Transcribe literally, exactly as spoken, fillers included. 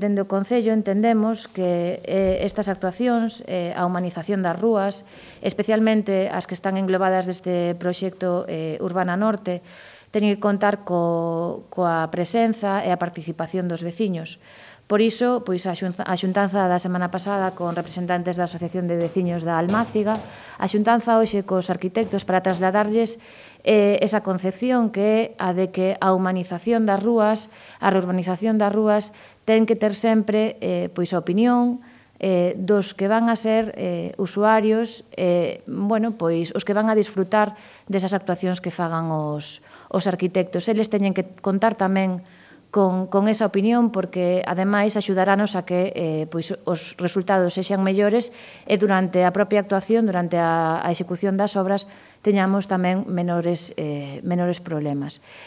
Dende o Concello entendemos que eh, estas actuacións, eh, a humanización das rúas, especialmente as que están englobadas deste proxecto eh, Urbana Norte, teñen que contar co, coa presenza e a participación dos veciños. Por iso, pois, a xuntanza da semana pasada con representantes da Asociación de Veciños da Almáciga, a xuntanza hoxe cos arquitectos para trasladarlles eh, esa concepción que é a de que a humanización das rúas, a reurbanización das rúas, ten que ter sempre eh, pois a opinión eh, dos que van a ser eh, usuarios, eh, bueno, pois os que van a disfrutar desas actuacións que fagan os, os arquitectos. Eles teñen que contar tamén con, con esa opinión porque, ademais, axudarános a que eh, pois, os resultados sexan mellores e durante a propia actuación, durante a, a execución das obras, teñamos tamén menores, eh, menores problemas.